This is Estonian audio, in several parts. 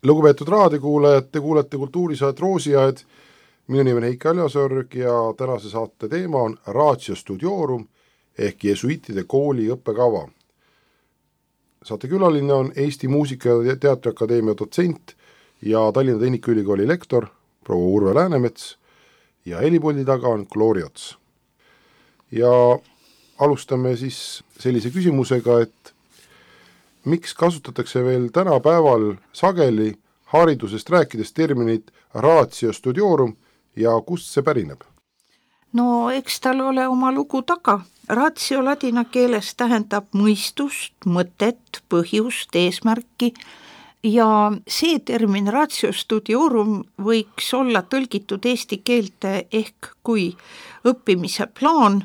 Lugupeetud raadiokuulajad, te kuulete kultuurisaat Roosiaed. Minu nimi on Heiki Aljasorg ja tänase saate teema on Ratio Studiorum ehk jesuitide kooli õppekava. Saate külaline on Eesti Muusika- ja Teatriakadeemia dotsent ja Tallinna Tehnikaülikooli lektor proua Urve Läänemets ja helipuldi taga on Gloria Ots. Ja alustame siis sellise küsimusega, et miks kasutatakse veel tänapäeval sageli haridusest rääkides terminit Ratio Studiorum ja kust see pärineb? No eks tal ole oma lugu taga. Ratio ladina keeles tähendab mõistust, mõtet, põhjust, eesmärki ja see termin Ratio Studiorum võiks olla tõlgitud eesti keelte ehk kui õppimise plaan.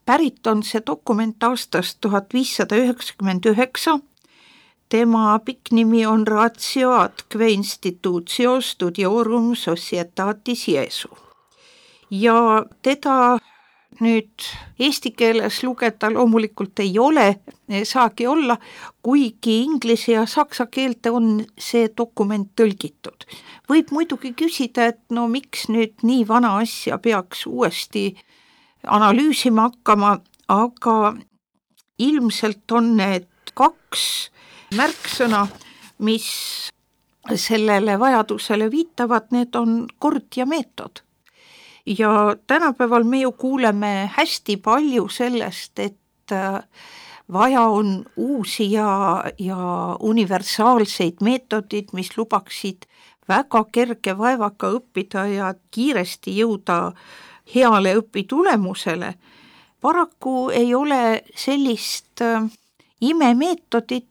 Pärit on see dokument aastast 1599. Tema pikk nimi on Ratio atque institutio studiorum societatis Jesu. Ja teda nüüd eesti keeles lugeda loomulikult ei ole, saagi olla, kuigi inglise ja saksa keelte on see dokument tõlgitud. Võib muidugi küsida, et no miks nüüd nii vana asja peaks uuesti analüüsima hakkama, aga ilmselt on need kaks märksõna, mis sellele vajadusele viitavad, need on kord ja meetod. Ja tänapäeval me ju kuuleme hästi palju sellest, et vaja on uusi ja universaalseid meetodid, mis lubaksid väga kerge vaevaga õppida ja kiiresti jõuda heale õpitulemusele. Paraku ei ole sellist imemeetodit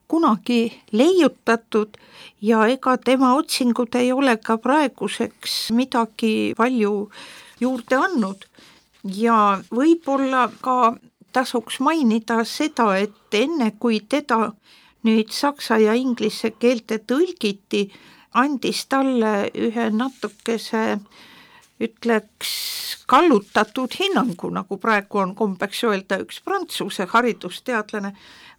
kunagi leiutatud ja ega tema otsingud ei ole ka praeguseks midagi palju juurde andnud. Ja võib-olla ka tasuks mainida seda, et enne kui teda nüüd saksa ja inglise keelte tõlgiti, andis talle ühe natukese ütleks kallutatud hinnangu, nagu praegu on kombeks öelda üks Prantsuse haridusteadlane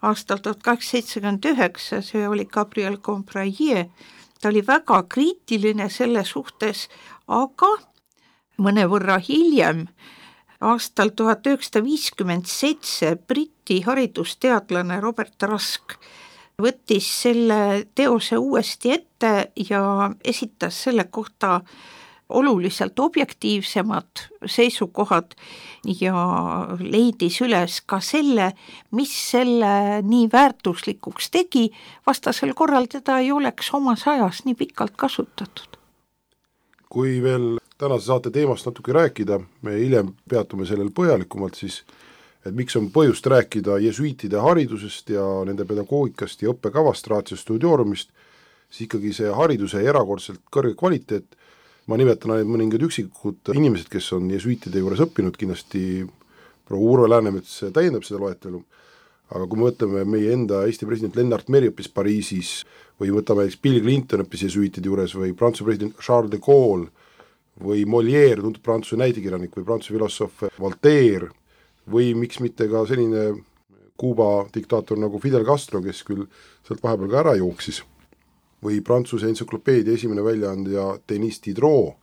aastal 1879, see oli Gabriel Combraillet. Ta oli väga kriitiline selle suhtes, aga mõnevõrra hiljem, aastal 1957 Briti haridusteadlane Robert Rusk võttis selle teose uuesti ette ja esitas selle kohta oluliselt objektiivsemad seisukohad ja leidis üles ka selle, mis selle nii väärtuslikuks tegi, vastasel korral teda ei oleks omas ajas nii pikalt kasutatud. Kui veel tänase saate teemast natuke rääkida, me hiljem peatume sellel põhjalikumalt siis, et miks on põhjust rääkida jesuitide haridusest ja nende pedagoogikast ja õppekavast, Ratio Studiorumist, siis ikkagi see hariduse erakordselt kõrge kvaliteet. Ma nimetan ainult mõningad üksikud inimesed, kes on jesuitide juures õppinud, kindlasti proua Urve Läänemets täiendab seda loetelu, aga kui me võtame meie enda Eesti president Lennart Meri õppis Pariisis või võtame Bill Clinton õppis jesuitide juures või Prantsuse president Charles de Gaulle või Molière, tuntud Prantsuse näidekirjanik või Prantsuse filosoof Voltaire või miks mitte ka selline Kuuba diktaator nagu Fidel Castro, kes küll sealt vahepeal ka ära jooksis, või Prantsuse entsüklopeedia esimene väljaandja Denis Diderot.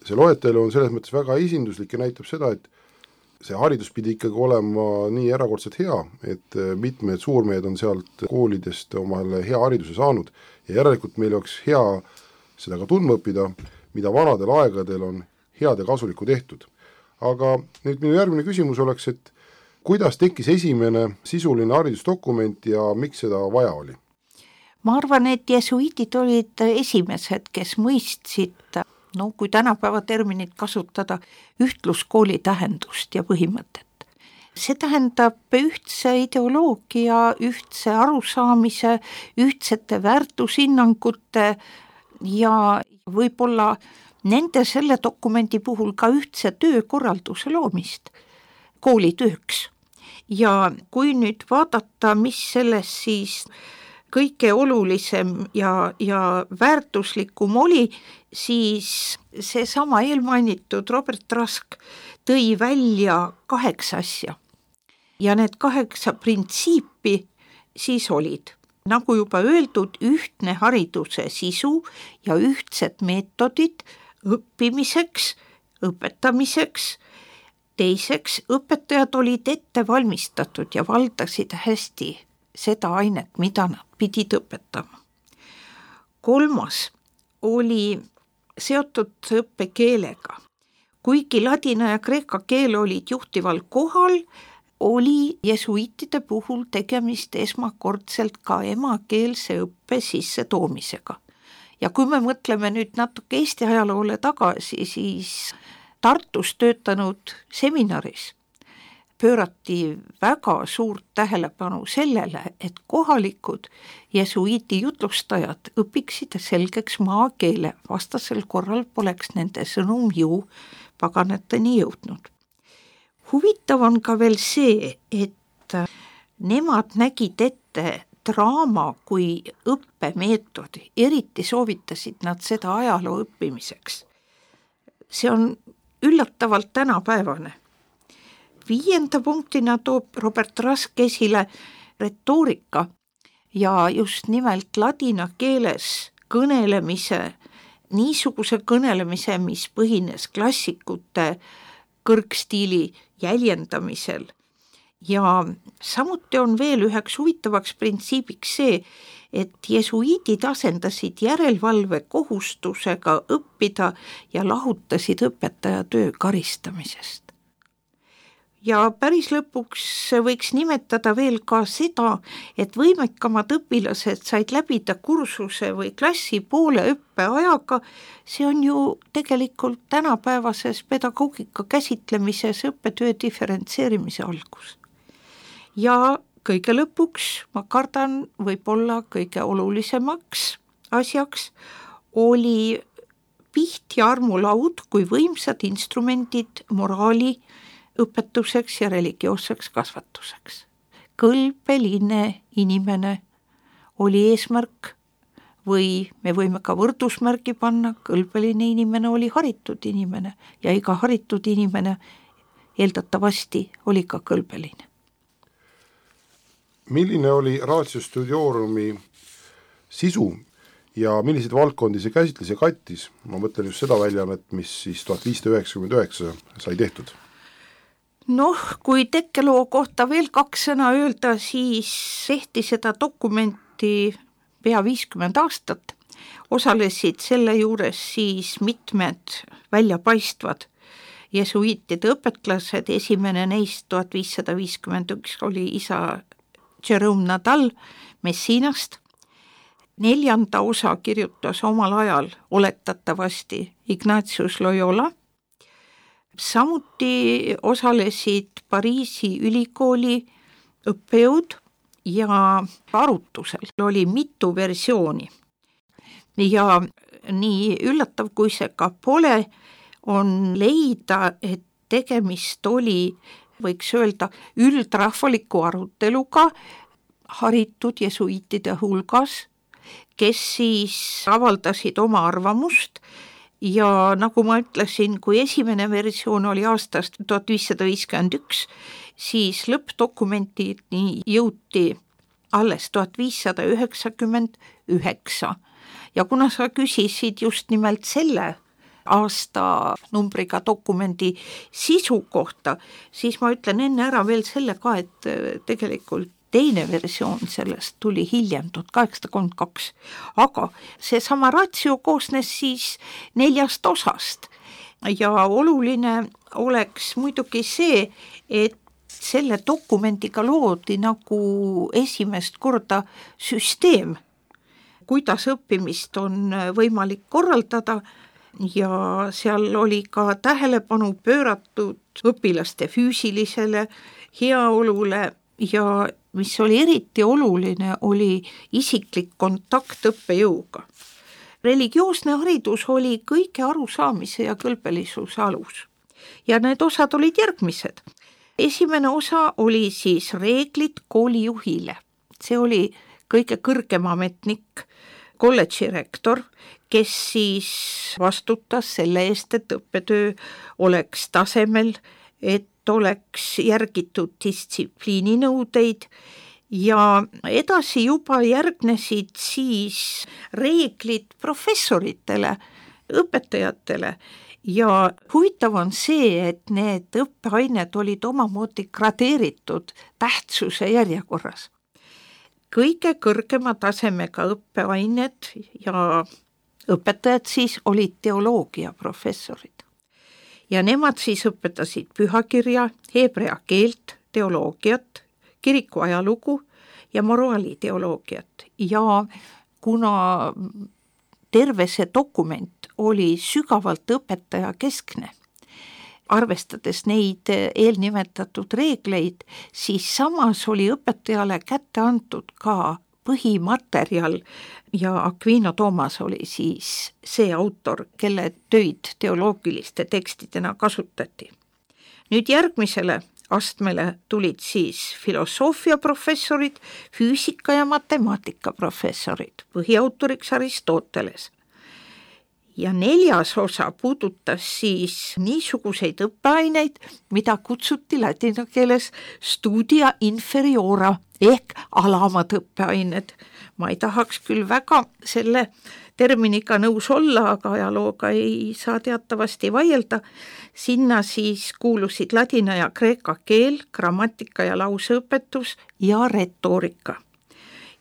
See loetelu on selles mõttes väga esinduslik ja näitab seda, et see haridus pidi ikkagi olema nii erakordselt hea, et mitmed suurmehed on sealt koolidest omale hea hariduse saanud ja järelikult meil oleks hea seda ka tundma õppida, mida vanadel aegadel on head ja kasulikku tehtud. Aga nüüd minu järgmine küsimus oleks, et kuidas tekkis esimene sisuline haridusdokument ja miks seda vaja oli? Ma arvan, et jesuitid olid esimesed, kes mõistsid, no kui tänapäeva terminit kasutada, ühtluskooli tähendust ja põhimõtet. See tähendab ühtse ideoloogia, ühtse arusaamise, ühtsete väärtushinnangute ja võib-olla nende selle dokumendi puhul ka ühtse töökorralduse loomist koolitööks. Ja kui nüüd vaadata, mis selles siis kõige olulisem ja väärtuslikum oli, siis seesama eelmainitud Robert Rusk tõi välja 8 asja. Ja need 8 printsiipi siis olid nagu juba öeldud, ühtne hariduse sisu ja ühtsed meetodid õppimiseks, õpetamiseks. Teiseks, õpetajad olid ette valmistatud ja valdasid hästi seda ainet, mida nad pidid õpetama. Kolmas oli seotud õppekeelega. Kuigi ladina ja kreeka keel olid juhtival kohal, oli jesuitide puhul tegemist esmakordselt ka emakeelse õppe sisse toomisega. Ja kui me mõtleme nüüd natuke Eesti ajaloole tagasi, siis Tartus töötanud seminaris pöörati väga suurt tähelepanu sellele, et kohalikud jesuiiti jutlustajad õpiksid selgeks maakeele, vastasel korral poleks nende sõnum ju paganateni jõudnud. Huvitav on ka veel see, et nemad nägid ette draama kui õppemeetodi, eriti soovitasid nad seda ajaloo õppimiseks. See on üllatavalt tänapäevane. 5. punktina toob Robert Rask esile retoorika ja just nimelt ladina keeles kõnelemise, niisuguse kõnelemise, mis põhines klassikute kõrgstiili jäljendamisel. Ja samuti on veel üheks huvitavaks printsiibiks see, et jesuiidid asendasid järelevalve kohustusega õppida ja lahutasid õpetaja töö karistamisest. Ja päris lõpuks võiks nimetada veel ka seda, et võimekamad õpilased said läbida kursuse või klassi poole õppeajaga, see on ju tegelikult tänapäevases pedagoogika käsitlemises õppetöö diferentseerimise algus. Ja kõige lõpuks, ma kardan, võib-olla kõige olulisemaks asjaks oli piht ja armulaud kui võimsad instrumendid moraali õpetuseks ja religioosseks kasvatuseks. Kõlbeline inimene oli eesmärk või me võime ka võrdusmärgi panna, kõlbeline inimene oli haritud inimene ja iga haritud inimene eeldatavasti oli ka kõlbeline. Milline oli Ratio Studiorum sisu ja milliseid valdkondi see käsitles ja kattis? Ma mõtlen just seda väljaannet, mis siis 1599 sai tehtud. Kui tekkeloo kohta veel 2 sõna öelda, siis tehti seda dokumenti pea 50 aastat. Osalesid selle juures siis mitmed väljapaistvad jesuiitide õpetlased, esimene neist 1551 oli isa Jerome Nadal Messinast. 4. osa kirjutas omal ajal oletatavasti Ignatius Loyola. Samuti osalesid Pariisi ülikooli õppejõud ja arutusel oli mitu versiooni. Ja nii üllatav, kui see ka pole, on leida, et tegemist oli, võiks öelda, üldrahvaliku aruteluga haritud jesuiitide hulgas, kes siis avaldasid oma arvamust ja nagu ma ütlesin, kui esimene versioon oli aastast 1551, siis lõppdokumentini jõuti alles 1599. Ja kuna sa küsisid just nimelt selle aasta numbriga dokumendi sisu kohta, siis ma ütlen enne ära veel selle ka, et tegelikult teine versioon sellest tuli hiljem, 1832, aga seesama Ratio koosnes siis 4 osast ja oluline oleks muidugi see, et selle dokumendiga loodi nagu esimest korda süsteem, kuidas õppimist on võimalik korraldada ja seal oli ka tähelepanu pööratud õpilaste füüsilisele heaolule ja mis oli eriti oluline, oli isiklik kontakt õppejõuga. Religioosne haridus oli kõige arusaamise ja kõlbelisuse alus. Ja need osad olid järgmised. Esimene osa oli siis reeglid koolijuhile. See oli kõige kõrgem ametnik, kolledži rektor, kes siis vastutas selle eest, et õppetöö oleks tasemel, et oleks järgitud distsipliininõudeid ja edasi juba järgnesid siis reeglid professoritele, õpetajatele ja huvitav on see, et need õppeained olid omamoodi gradeeritud tähtsuse järjekorras. Kõige kõrgema tasemega õppeained ja õpetajad siis olid teoloogia professorid. Ja nemad siis õpetasid pühakirja, heebrea keelt, teoloogiat, kiriku ajalugu ja moraaliteoloogiat ja kuna terve see dokument oli sügavalt õpetaja keskne, arvestades neid eelnimetatud reegleid, siis samas oli õpetajale kätte antud ka põhimaterjal ja Aquino Toomas oli siis see autor, kelle töid teoloogiliste tekstidena kasutati. Nüüd järgmisele astmele tulid siis filosoofiaprofessorid, füüsika ja matemaatika professorid, põhiautoriks Aristoteles. Ja 4. osa puudutas siis niisuguseid õppeaineid, mida kutsuti ladina keeles studia inferiora ehk alamad õppeained. Ma ei tahaks küll väga selle terminiga nõus olla, aga ajalooga ei saa teatavasti vaielda. Sinna siis kuulusid ladina ja kreeka keel, grammatika ja lauseõpetus ja retoorika.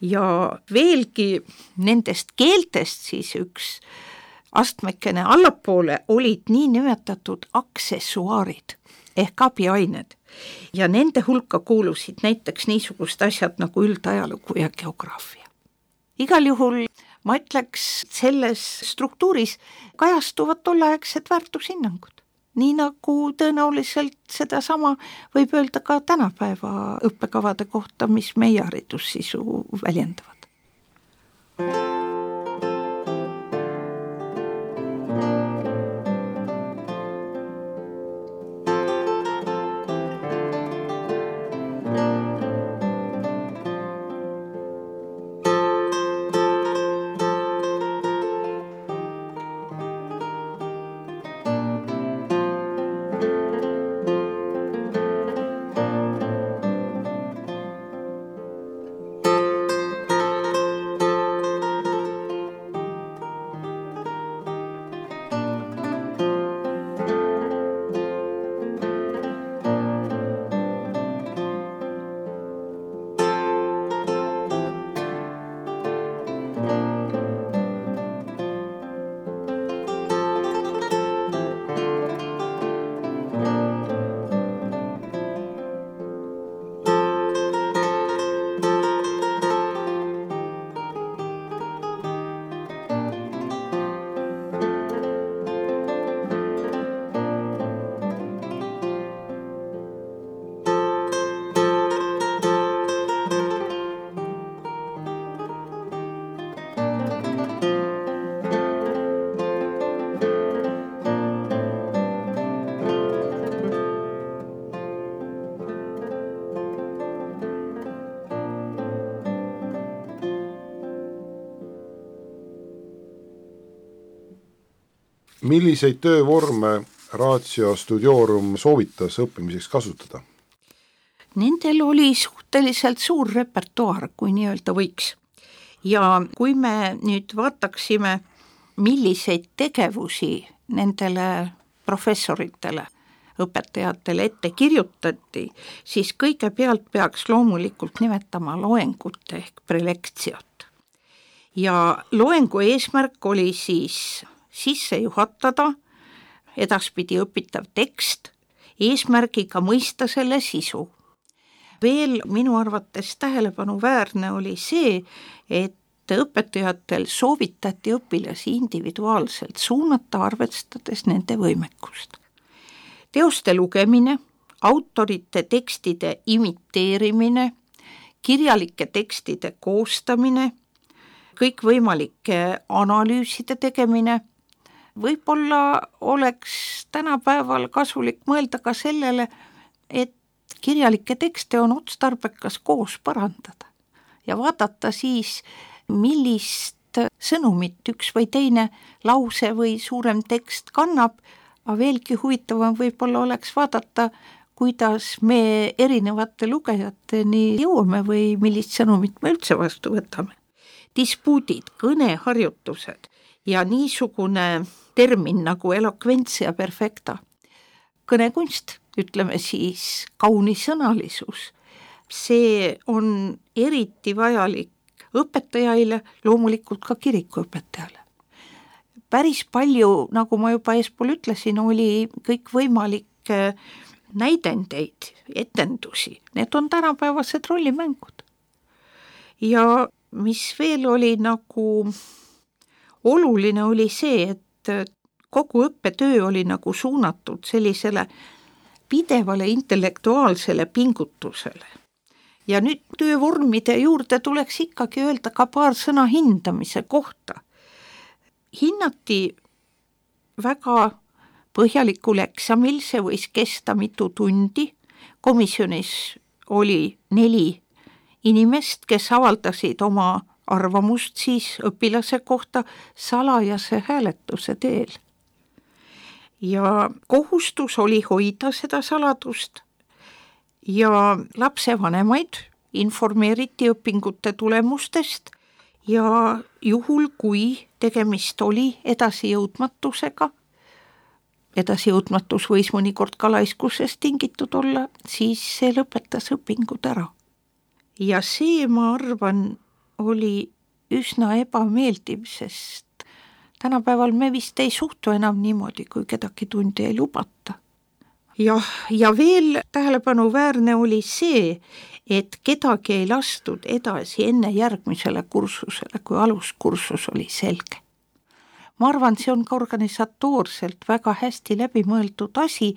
Ja veelgi nendest keeltest siis üks astmekene allapoole olid nii nimetatud aksessuaarid ehk abiained ja nende hulka kuulusid näiteks niisugust asjad nagu üldajalugu ja geograafia. Igal juhul ma ütleks, selles struktuuris kajastuvad tolleaegsed väärtushinnangud, nii nagu tõenäoliselt sedasama võib öelda ka tänapäeva õppekavade kohta, mis meie haridussisu väljendavad. Milliseid töövorme Ratio Studiorum soovitas õppimiseks kasutada? Nendel oli suhteliselt suur repertuaar, kui nii öelda võiks. Ja kui me nüüd vaataksime, milliseid tegevusi nendele professoritele, õpetajatele ette kirjutati, siis kõigepealt peaks loomulikult nimetama loengut ehk prelektsiot. Ja loengu eesmärk oli siis sisse juhatada edaspidi õpitav tekst eesmärgiga mõista selle sisu. Veel minu arvates tähelepanuväärne oli see, et õpetajatel soovitati õpilasi individuaalselt suunata, arvestades nende võimekust. Teoste lugemine, autorite tekstide imiteerimine, kirjalike tekstide koostamine, kõikvõimalike analüüside tegemine, võib-olla oleks tänapäeval kasulik mõelda ka sellele, et kirjalikke tekste on otstarbekas koos parandada ja vaadata siis, millist sõnumit üks või teine lause või suurem tekst kannab, aga veelgi huvitavam võib-olla oleks vaadata, kuidas me erinevate lugejateni jõuame või millist sõnumit me üldse vastu võtame. Dispuudid, kõneharjutused ja niisugune termin nagu elokventsia perfecta, kõnekunst, ütleme siis kaunisõnalisus, see on eriti vajalik õpetajaile, loomulikult ka kirikuõpetajale. Päris palju, nagu ma juba eespool ütlesin, oli kõikvõimalikke näidendeid, etendusi, need on tänapäevased rollimängud. Ja mis veel oli nagu oluline, oli see, et kogu õppetöö oli nagu suunatud sellisele pidevale intellektuaalsele pingutusele. Ja nüüd töövormide juurde tuleks ikkagi öelda ka paar sõna hindamise kohta. Hinnati väga põhjalikul eksamil, see võis kesta mitu tundi. Komisjonis oli 4 inimest, kes avaldasid oma arvamust siis õpilase kohta salajase hääletuse teel. Ja kohustus oli hoida seda saladust ja lapsevanemaid informeeriti õpingute tulemustest ja juhul, kui tegemist oli edasijõudmatusega, edasijõudmatus võis mõnikord ka laiskusest tingitud olla, siis see lõpetas õpingud ära. Ja see, ma arvan, oli üsna ebameeldiv, sest tänapäeval me vist ei suhtu enam niimoodi, kui kedagi tundi ei lubata. Ja veel tähelepanuväärne oli see, et kedagi ei lastud edasi enne järgmisele kursusele, kui aluskursus oli selge. Ma arvan, see on ka organisatoorselt väga hästi läbimõeldud asi,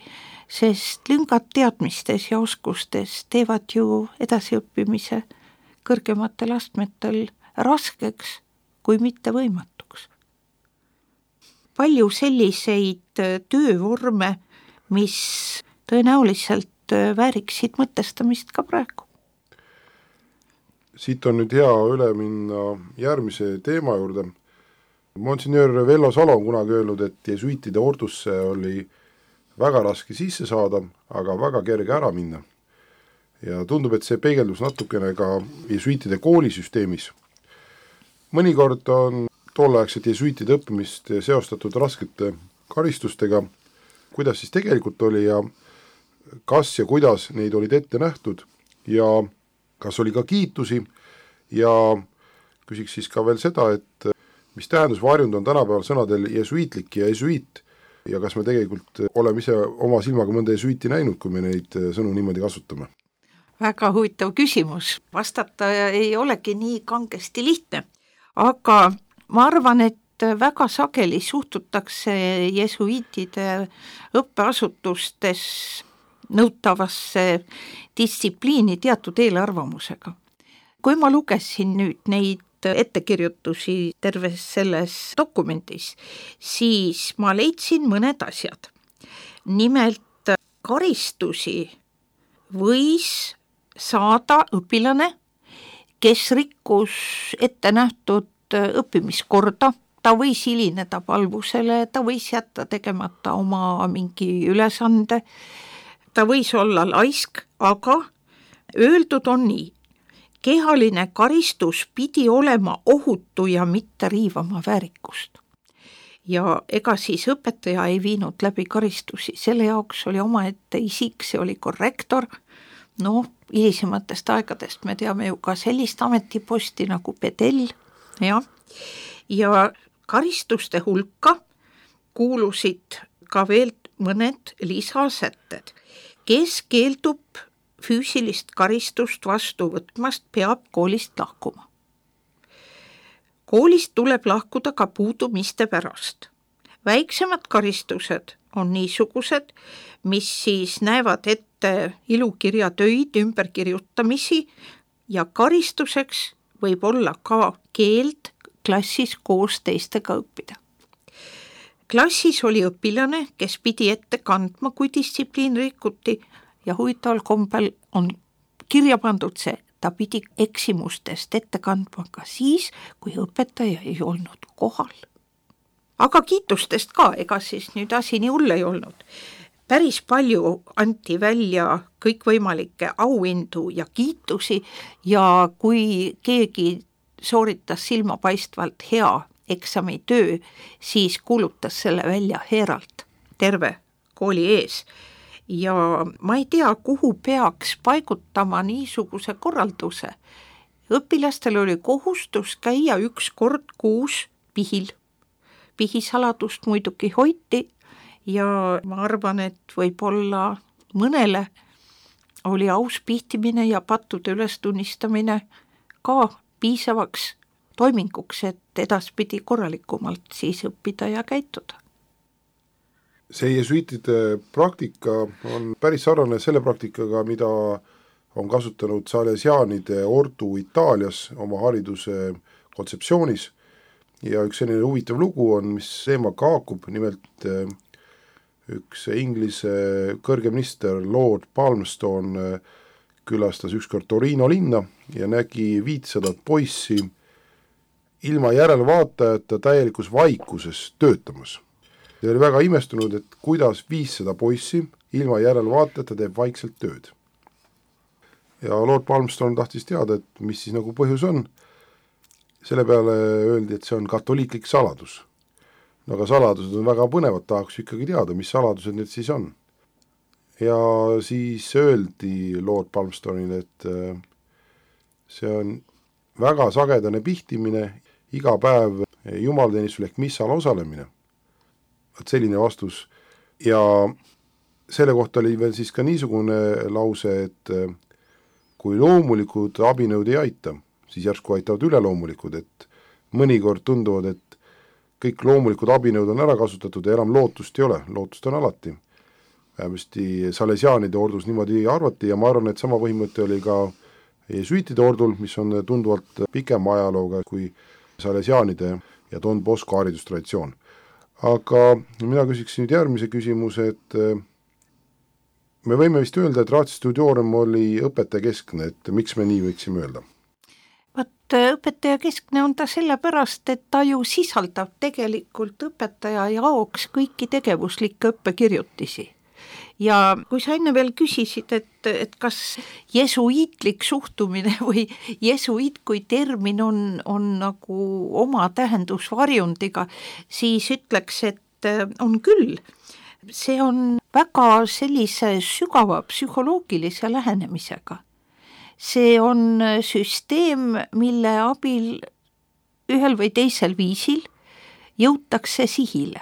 sest lüngad teadmistes ja oskustes teevad ju edasiõppimise kõrgematel astmetel raskeks, kui mitte võimatuks. Palju selliseid töövorme, mis tõenäoliselt vääriksid mõtestamist ka praegu. Siit on nüüd hea üle minna järgmise teema juurde. Monsignor Vello Salo on kunagi öelnud, et jesuitide ordusse oli väga raske sisse saada, aga väga kerge ära minna. Ja tundub, et see peegeldus natukene ka jesuitide koolisüsteemis. Mõnikord on tolleaegset jesuitide õppimist seostatud raskete karistustega, kuidas siis tegelikult oli ja kas ja kuidas neid olid ette nähtud ja kas oli ka kiitusi ja küsiks siis ka veel seda, et mis tähendusvarjund on tänapäeval sõnadel jesuitlik ja jesuit ja kas me tegelikult oleme ise oma silmaga mõnda jesuiti näinud, kui me neid sõnu niimoodi kasutame? Väga huvitav küsimus. Vastata ei olegi nii kangesti lihtne, aga ma arvan, et väga sageli suhtutakse jesuitide õppeasutustes nõutavasse distsipliini teatud eelarvamusega. Kui ma lugesin nüüd neid ettekirjutusi terves selles dokumendis, siis ma leidsin mõned asjad. Nimelt karistusi võis saada õpilane, kes rikkus ette nähtud õppimiskorda, ta võis hilineda palvusele, ta võis jätta tegemata oma mingi ülesande, ta võis olla laisk, aga öeldud on nii, kehaline karistus pidi olema ohutu ja mitte riivama väärikust. Ja ega siis õpetaja ei viinud läbi karistusi, selle jaoks oli omaette isik, see oli korrektor, hilisematest aegadest me teame ju ka sellist ametiposti nagu pedell, ja karistuste hulka kuulusid ka veel mõned lisasätted. Kes keeldub füüsilist karistust vastu võtmast, peab koolist lahkuma. Koolist tuleb lahkuda ka puudumiste pärast. Väiksemad karistused on niisugused, mis siis näevad ette ilukirjatöid, ümberkirjutamisi ja karistuseks võib olla ka keeld klassis koos teistega õppida. Klassis oli õpilane, kes pidi ette kandma, kui distsipliin rikuti ja huvitaval kombel on kirja pandud see, ta pidi eksimustest ette kandma ka siis, kui õpetaja ei olnud kohal. Aga kiitustest ka, ega siis nüüd asi nii hull ei olnud. päris palju anti välja kõikvõimalikke auhindu ja kiitusi ja kui keegi sooritas silmapaistvalt hea eksamitöö, siis kuulutas selle välja heeralt terve kooli ees. Ja ma ei tea, kuhu peaks paigutama niisuguse korralduse. Õpilastel oli kohustus käia 1 kord kuus pihil. Pihisaladust muidugi hoiti ja ma arvan, et võib-olla mõnele oli aus pihtimine ja pattude ülestunnistamine ka piisavaks toiminguks, et edaspidi korralikumalt siis õppida ja käituda. See jesuitide praktika on päris sarnane selle praktikaga, mida on kasutanud salesiaanide ordu Itaalias oma hariduse kontseptsioonis ja üks selline huvitav lugu on, mis teemaga haakub, nimelt üks Inglise kõrgeminister Lord Palmerston külastas ükskord Torino linna ja nägi 500 poissi ilma järelvaatajata täielikus vaikuses töötamas. Ta oli väga imestunud, et kuidas 500 poissi ilma järelvaatajata teeb vaikselt tööd. Ja Lord Palmerston tahtis teada, et mis siis nagu põhjus on. Selle peale öeldi, et see on katoliiklik saladus. No aga saladused on väga põnevad, tahaks ikkagi teada, mis saladused need siis on. Ja siis öeldi Lord Palmerstonile, et see on väga sagedane pihtimine, iga päev jumalateenistusel ehk missal osalemine. Et selline vastus. Ja selle kohta oli veel siis ka niisugune lause, et kui loomulikud abinõud ei aita, siis järsku aitavad üleloomulikud, et mõnikord tunduvad, et kõik loomulikud abinõud on ära kasutatud ja enam lootust ei ole, lootust on alati. Vähemasti salesiaanide ordus niimoodi arvati ja ma arvan, et sama põhimõte oli ka jesuitide ordul, mis on tunduvalt pikema ajalooga kui salesiaanide ja Don Bosco haridustraditsioon. Aga mina küsiks nüüd järgmise küsimuse, et me võime vist öelda, et Ratio Studiorum oli õpetajakeskne, et miks me nii võiksime öelda? Õpetajakeskne on ta sellepärast, et ta ju sisaldab tegelikult õpetaja jaoks kõiki tegevuslikke õppekirjutisi. Ja kui sa enne veel küsisid, et kas jesuiitlik suhtumine või jesuiit kui termin on nagu oma tähendusvarjundiga, siis ütleks, et on küll. See on väga sellise sügava psühholoogilise lähenemisega. See on süsteem, mille abil ühel või teisel viisil jõutakse sihile.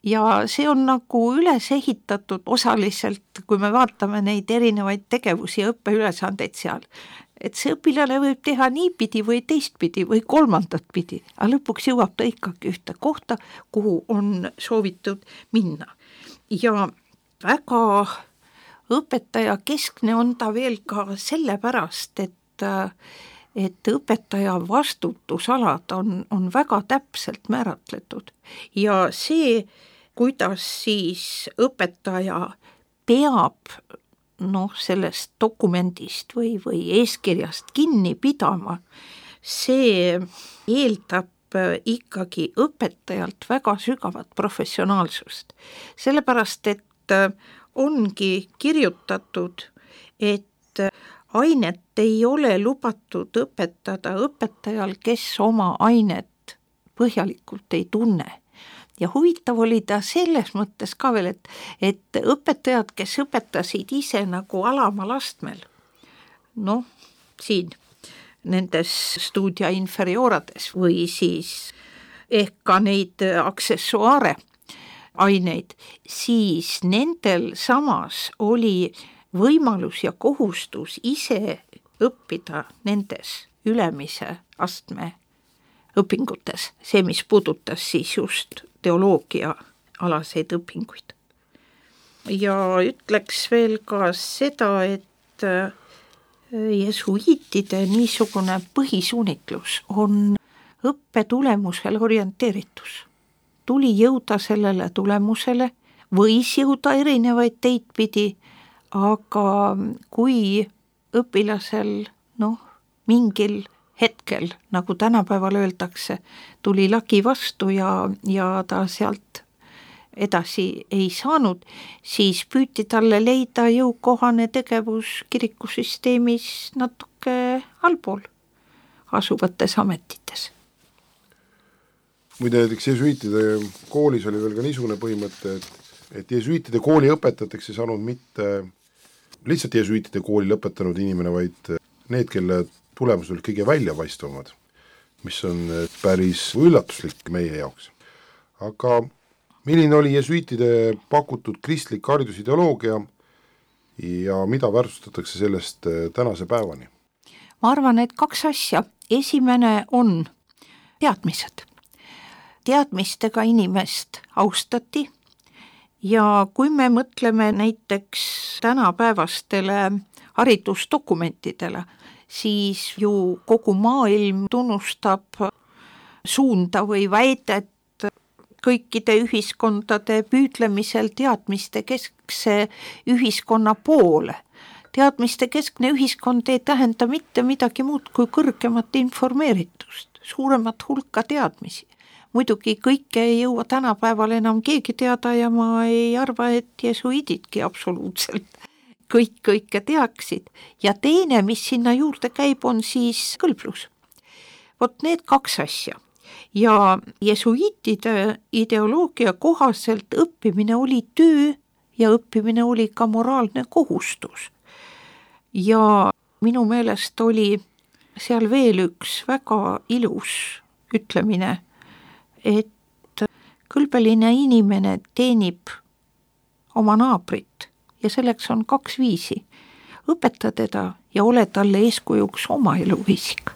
Ja see on nagu üles ehitatud osaliselt, kui me vaatame neid erinevaid tegevusi ja õppeülesandeid seal, et see õpilane võib teha niipidi või teistpidi või kolmandat pidi, aga lõpuks jõuab ta ikkagi ühte kohta, kuhu on soovitud minna. Ja väga õpetaja keskne on ta veel ka sellepärast, et õpetaja vastutusalad on väga täpselt määratletud ja see, kuidas siis õpetaja peab sellest dokumendist või eeskirjast kinni pidama, see eeldab ikkagi õpetajalt väga sügavat professionaalsust. Sellepärast, et ongi kirjutatud, et ainet ei ole lubatud õpetada õpetajal, kes oma ainet põhjalikult ei tunne. Ja huvitav oli ta selles mõttes ka veel, et õpetajad, kes õpetasid ise nagu alamal astmel, siin nendes studia inferiorades või siis ehk ka neid aksessuaare aineid, siis nendel samas oli võimalus ja kohustus ise õppida nendes ülemise astme õpingutes, see, mis puudutas siis just teoloogia alaseid õpinguid. Ja ütleks veel ka seda, et jesuiitide niisugune põhisuunitlus on õppetulemusele orienteeritus. Tuli jõuda sellele tulemusele, võis jõuda erinevaid teid pidi, aga kui õpilasel mingil hetkel, nagu tänapäeval öeldakse, tuli lagi vastu ja ta sealt edasi ei saanud, siis püüti talle leida jõukohane tegevus kirikusüsteemis natuke allpool asuvates ametites. Muide näiteks jesuitide koolis oli veel ka niisugune põhimõte, et jesuitide kooli õpetajateks ei saanud mitte lihtsalt jesuitide kooli lõpetanud inimene, vaid need, kelle tulemused olid kõige väljapaistvamad, mis on päris üllatuslik meie jaoks. Aga milline oli jesuitide pakutud kristlik haridusideoloogia ja mida väärtustatakse sellest tänase päevani? Ma arvan, et 2 asja. Esimene on teadmised. Teadmistega inimest austati ja kui me mõtleme näiteks tänapäevastele haridusdokumentidele, siis ju kogu maailm tunnustab suunda või väidet kõikide ühiskondade püüdlemisel teadmiste keskse ühiskonna poole. Teadmiste keskne ühiskond ei tähenda mitte midagi muud kui kõrgemat informeeritust, suuremat hulka teadmisi. Muidugi kõike ei jõua tänapäeval enam keegi teada ja ma ei arva, et jesuididki absoluutselt kõike teaksid. Ja teine, mis sinna juurde käib, on siis kõlblus. Vot need 2 asja. Ja jesuitide ideoloogia kohaselt õppimine oli töö ja õppimine oli ka moraalne kohustus. Ja minu meelest oli seal veel üks väga ilus ütlemine, et kõlbeline inimene teenib oma naabrit ja selleks on 2 viisi. Õpeta teda ja ole talle eeskujuks oma eluviisiga.